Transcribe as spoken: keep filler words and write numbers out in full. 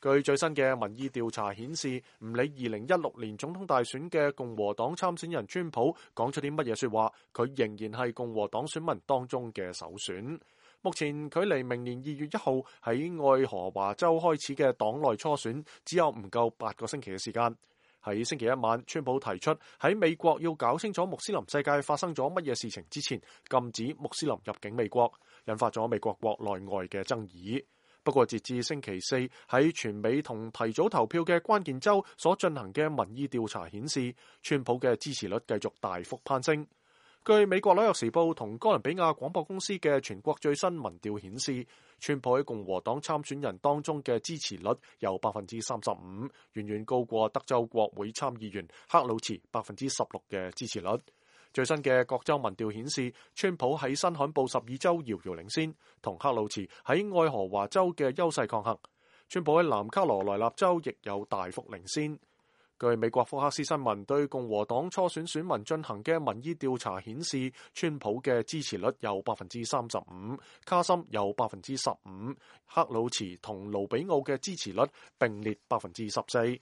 據最新嘅民意調查顯示，唔理二零一六年總統大選嘅共和黨參選人川普講出啲乜嘢說話，佢仍然係共和黨選民當中嘅首選。目前距離明年二月一號喺愛荷華州開始嘅黨內初選只有唔夠八個星期嘅時間。喺星期一晚，川普提出喺美國要搞清楚穆斯林世界發生咗乜嘢事情之前，禁止穆斯林入境美國，引發咗美國國內外嘅爭議。不過截至星期四，喺全美同提早投票嘅關鍵州所進行嘅民意調查顯示，川普嘅支持率繼續大幅攀升。據美國紐約時報同哥倫比亞廣播公司嘅全國最新民調顯示，川普喺共和黨參選人當中嘅支持率有百分之三十五，遠遠高過德州國會參議員克魯茨百分之十六嘅支持率。最新嘅各州民調顯示，川普喺新罕布什爾州遙遙領先，同克魯茨喺愛荷華州嘅優勢抗衡。川普喺南卡羅來納州亦有大幅領先。據美國福克斯新聞對共和黨初選選民進行嘅民意調查顯示，川普嘅支持率有百分之三十五，卡森有百分之十五，克魯茨同盧比奧嘅支持率並列百分之十四。